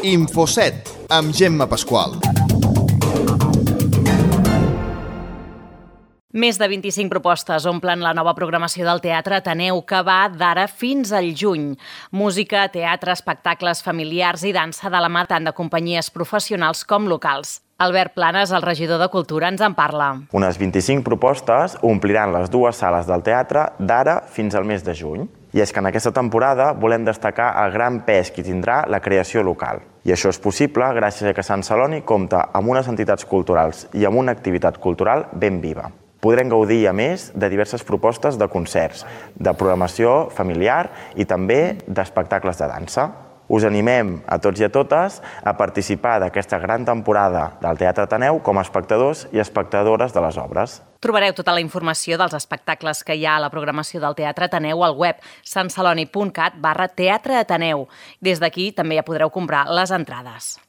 Infoset, amb Gemma Pasqual. Més de 25 propostes omplen la nova programació del Teatre Ateneu, que va d'ara fins al juny. Música, teatre, espectacles familiars i dansa de la mà tant de companyies professionals com locals. Albert Planes, el regidor de Cultura, ens en parla. Unes 25 propostes ompliran les dues sales del teatre d'ara fins al mes de juny. I és que en aquesta temporada volem destacar el gran pes que tindrà la creació local. I això és possible gràcies a que Sant Celoni compta amb unes entitats culturals i amb una activitat cultural ben viva. Podrem gaudir, a més, de diverses propostes de concerts, de programació familiar i també d'espectacles de dansa. Us animem a tots i a totes a participar d'aquesta gran temporada del Teatre Ateneu com a espectadors i espectadores de les obres. Trobareu tota la informació dels espectacles que hi ha a la programació del Teatre Ateneu al web santceloni.cat/teatreateneu. Des d'aquí també ja podreu comprar les entrades.